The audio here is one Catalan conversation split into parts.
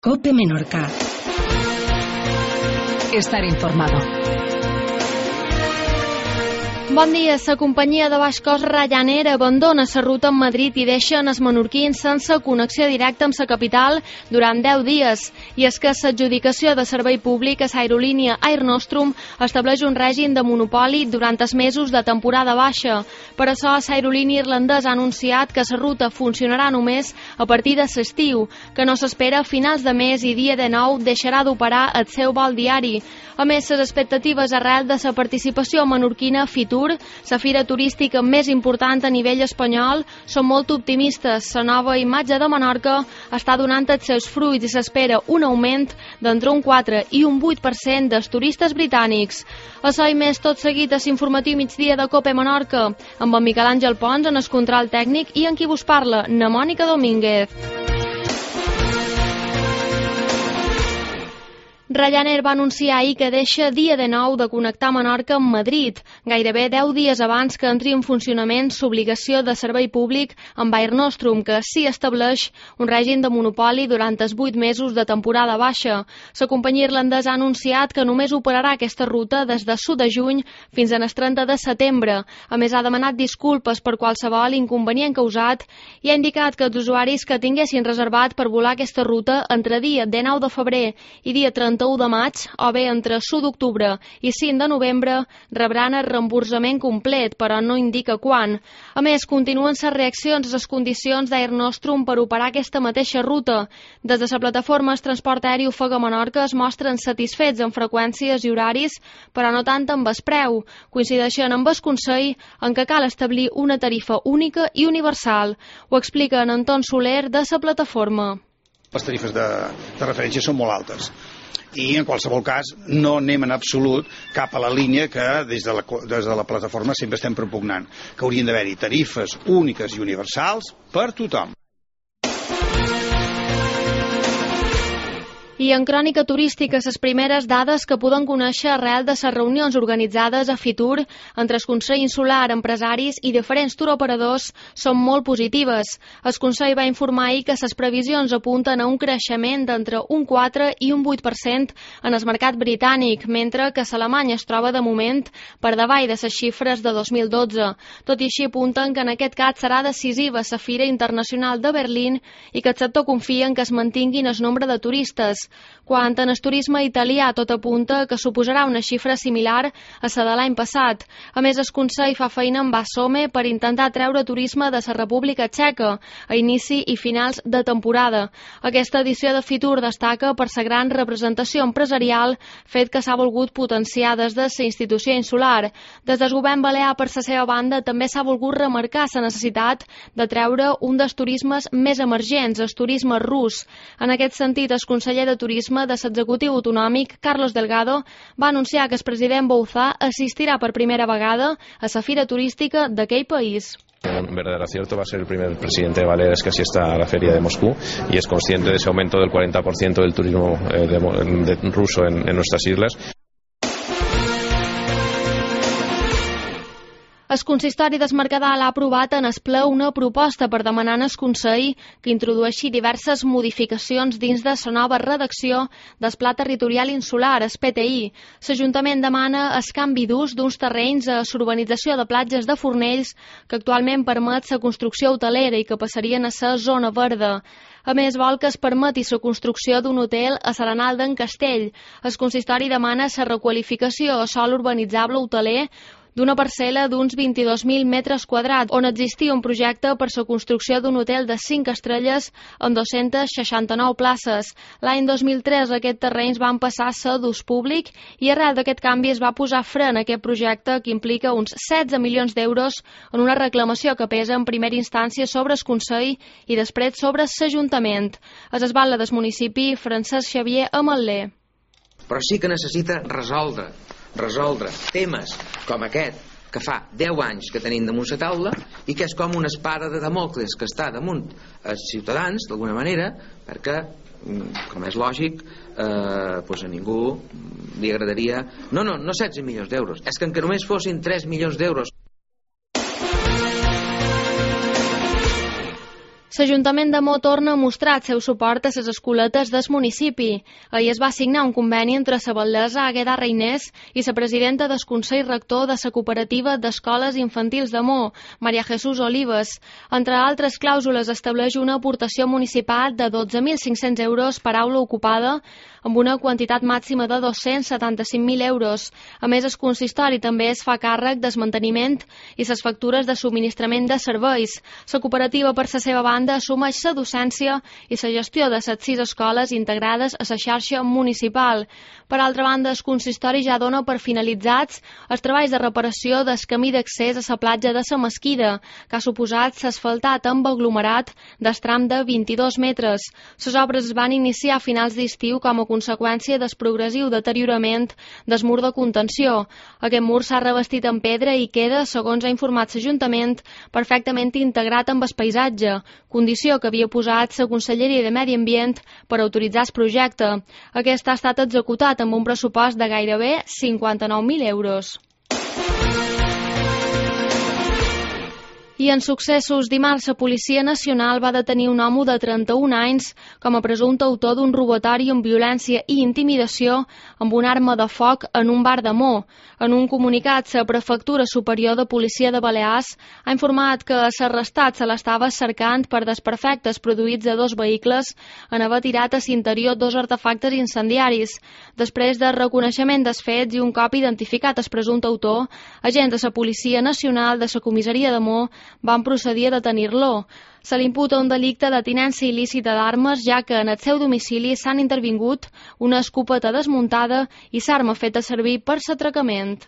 COPE Menorca. Estar informado. Bon dia. La companyia de baix cost Ryanair abandona la ruta amb Madrid i deixa els menorquins sense connexió directa amb la capital durant 10 dies. I és que l'adjudicació de servei públic a l'aerolínia Air Nostrum estableix un règim de monopoli durant els mesos de temporada baixa. Per això, l'aerolínia irlandesa ha anunciat que la ruta funcionarà només a partir de l'estiu, que no s'espera a finals de mes i dia 19 deixarà d'operar el seu vol diari. A més, les expectatives arrel de la participació menorquina Fitur, la fira turística més important a nivell espanyol, són molt optimistes. La nova imatge de Menorca està donant els seus fruits i s'espera un augment d'entre un 4 i un 8% dels turistes britànics. Això i més tot seguit a l'informatiu migdia de COPE Menorca, amb en Miquel Àngel Pons en el control tècnic i en qui vos parla, na Mònica Domínguez. Ryanair va anunciar ahir que deixa dia de nou de connectar Menorca amb Madrid, gairebé 10 dies abans que entri en funcionament l'obligació de servei públic amb Air Nostrum, que sí estableix un règim de monopoli durant els 8 mesos de temporada baixa. La companyia irlandesa ha anunciat que només operarà aquesta ruta des de l'1 de juny fins al 30 de setembre. A més, ha demanat disculpes per qualsevol inconvenient causat i ha indicat que els usuaris que tinguessin reservat per volar aquesta ruta entre dia 19 de febrer i dia 31 de maig, o bé entre l'1 d'octubre i 5 de novembre, rebran el reemborsament complet, però no indica quan. A més, continuen les reaccions a les condicions d'Air Nostrum per operar aquesta mateixa ruta. Des de la plataforma El Transport Aeri Ofega Menorca es mostren satisfets amb freqüències i horaris, però no tant amb el preu. Coincideixen amb el Consell en què cal establir una tarifa única i universal. Ho explica en Anton Soler de la plataforma. Les tarifes de referència són molt altes i en qualsevol cas no anem en absolut cap a la línia que des de la plataforma sempre estem propugnant, que haurien d'haver-hi tarifes úniques i universals per tothom. I en crònica turística, les primeres dades que podem conèixer arrel de les reunions organitzades a Fitur entre el Consell Insular, empresaris i diferents turoperadors són molt positives. El Consell va informar ahir que les previsions apunten a un creixement d'entre un 4 i un 8% en el mercat britànic, mentre que l'Alemanya es troba de moment per davall de les xifres de 2012. Tot i així apunten que en aquest cas serà decisiva la Fira Internacional de Berlín i que el sector confia en que es mantinguin el nombre de turistes. Quant en el turisme italià, tot apunta que suposarà una xifra similar a la de l'any passat. A més, el Consell fa feina amb Basome per intentar treure turisme de la República Txeca a inici i finals de temporada. Aquesta edició de Fitur destaca per la gran representació empresarial, fet que s'ha volgut potenciar des de la institució insular. Des del govern balear, per la seva banda, també s'ha volgut remarcar la necessitat de treure un dels turismes més emergents, el turisme rus. En aquest sentit, el conseller de Turisme de l'executiu autonòmic, Carlos Delgado, va anunciar que el president Bouzá assistirà per primera vegada a la fira turística d'aquell país. Un verdadero acierto, va a ser el primer presidente de Baleares que asista a la feria de Moscú y es consciente de ese aumento del 40% del turismo ruso en nuestras islas. El consistori del Mercadal ha aprovat en el ple una proposta per demanar al Consell que introdueixi diverses modificacions dins de la nova redacció del Pla Territorial Insular, el PTI. L'Ajuntament demana el canvi d'ús d'uns terrenys a l'urbanització de platges de Fornells que actualment permet la construcció hotelera i que passarien a ser zona verda. A més, vol que es permeti la construcció d'un hotel a l'Arenal d'en Castell. El consistori demana la requalificació a sòl urbanitzable hoteler d'una parcel·la d'uns 22.000 metres quadrats, on existia un projecte per la construcció d'un hotel de 5 estrelles amb 269 places. L'any 2003 aquests terrenys van passar a ser d'ús públic i arrel d'aquest canvi es va posar fre en aquest projecte que implica uns 16 milions d'euros en una reclamació que pesa en primera instància sobre el Consell i després sobre l'Ajuntament. Es esbala del municipi Francesc Xavier Ametler. Però sí que necessita resoldre temes com aquest que fa 10 anys que tenim damunt la taula i que és com una espada de Damocles que està damunt els ciutadans d'alguna manera, perquè com és lògic a ningú li agradaria no 16 milions d'euros, és que encara només fossin 3 milions d'euros. L'Ajuntament de Mo torna a mostrar el seu suport a les escoletes del municipi. Ahir es va signar un conveni entre la batllessa Àgueda Reinés i la presidenta del Consell Rector de la Cooperativa d'Escoles Infantils de Mo, Maria Jesús Olives. Entre altres clàusules estableix una aportació municipal de 12.500 euros per aula ocupada, amb una quantitat màxima de 275.000 euros. A més, el consistori també es fa càrrec del manteniment i les factures de subministrament de serveis. La cooperativa, per la seva banda, assumeix la docència i la gestió de les 6 escoles integrades a la xarxa municipal. Per altra banda, el consistori ja dona per finalitzats els treballs de reparació del camí d'accés a la platja de la Mesquida, que ha suposat s'asfaltat amb aglomerat del tram de 22 metres. Les obres es van iniciar a finals d'estiu com a conseqüència del progressiu deteriorament del mur de contenció. Aquest mur s'ha revestit en pedra i queda, segons ha informat l'Ajuntament, perfectament integrat amb el paisatge, condició que havia posat la Conselleria de Medi Ambient per autoritzar el projecte. Aquest ha estat executat amb un pressupost de gairebé 59.000 euros. I en successos, dimarts la Policia Nacional va detenir un home de 31 anys com a presumpte autor d'un robatori amb violència i intimidació amb una arma de foc en un bar de Mo. En un comunicat, la Prefectura Superior de Policia de Balears ha informat que l'arrestat se l'estava cercant per desperfectes produïts a 2 vehicles en haver tirat a l'interior 2 artefactes incendiaris. Després del reconeixement dels fets i un cop identificat el presumpte autor, agents de la Policia Nacional de la Comissaria de Mo van procedir a detenir-lo. Se li imputa un delicte de tinença il·lícita d'armes, ja que en el seu domicili s'han intervingut una escopeta desmuntada i l'arma feta servir per l'atracament.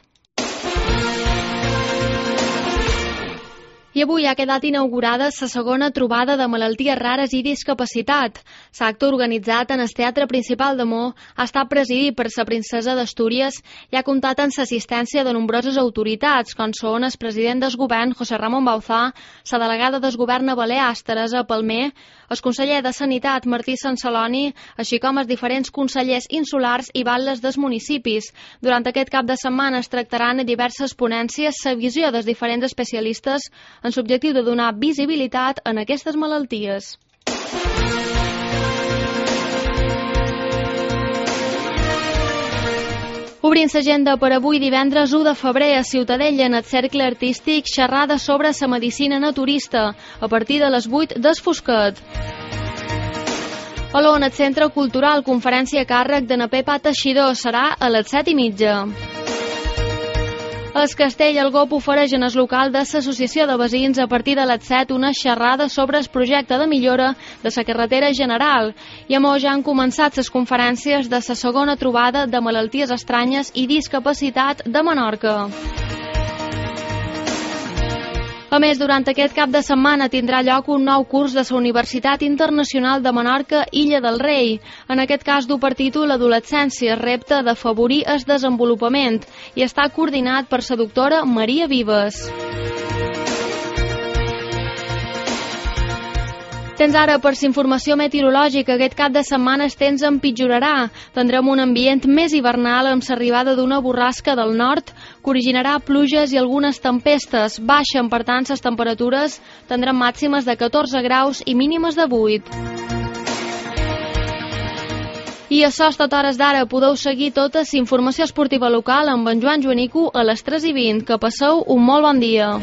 I avui ha quedat inaugurada la segona trobada de malalties rares i discapacitat. L'acte organitzat en el Teatre Principal de Mo ha estat presidit per la princesa d'Astúries i ha comptat amb l'assistència de nombroses autoritats, com són el president del govern, José Ramón Bauzá, la delegada del govern a Balears, Teresa Palmer, el conseller de Sanitat, Martí Sanceloni, així com els diferents consellers insulars i batlles dels municipis. Durant aquest cap de setmana es tractaran a diverses ponències la visió dels diferents especialistes amb l'objectiu de donar visibilitat en aquestes malalties. Obrint l'agenda per avui, divendres 1 de febrer a Ciutadella, en el Cercle Artístic, xerrada sobre la medicina naturista, a partir de les 8 del Fosquet. A l'ON, el Centre Cultural, conferència a càrrec de na Pepa Teixidor, serà a les 7:30. El Castell Algop ofereix en el local de l'Associació de Veïns a partir de les 7 una xerrada sobre el projecte de millora de la carretera general. I a Mo ja han començat les conferències de la segona trobada de malalties estranyes i discapacitat de Menorca. A més, durant aquest cap de setmana tindrà lloc un nou curs de la Universitat Internacional de Menorca Illa del Rei. En aquest cas du per títol Adolescència, repte d'afavorir el desenvolupament, i està coordinat per la doctora Maria Vives. Tens ara per la informació meteorològica. Aquest cap de setmana el temps empitjorarà. Tindrem un ambient més hivernal amb l'arribada d'una borrasca del nord que originarà pluges i algunes tempestes. Baixen, per tant, les temperatures. Tindrem màximes de 14 graus i mínimes de 8. I això és tot hores d'ara. Podeu seguir tota la informació esportiva local amb en Joan Joanico a les 3:20. Que passeu un molt bon dia.